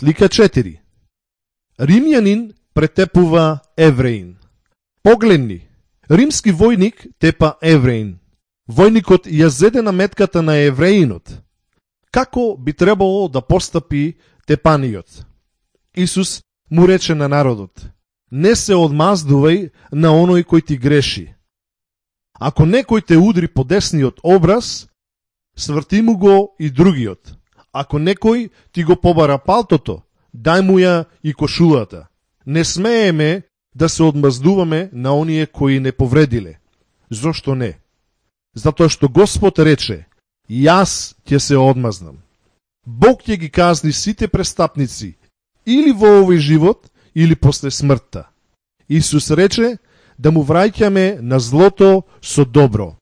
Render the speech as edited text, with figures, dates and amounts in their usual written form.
Слика 4. Римјанин претепува евреин. Погледни, римски војник тепа евреин. Војникот ја зеде на метката на евреинот. Како би требало да постапи тепаниот? Исус му рече на народот: не се одмаздувај на оној кој ти греши. Ако некој те удри по десниот образ, сврти му го и другиот. Ако некој ти го побара палтото, дај му ја и кошулата. Не смееме да се одмаздуваме на оние кои не повредиле. Зошто не? Затоа што Господ рече: јас ќе се одмазнам. Бог ќе ги казни сите престапници, или во овој живот, или после смртта. Исус рече да му враќаме на злото со добро.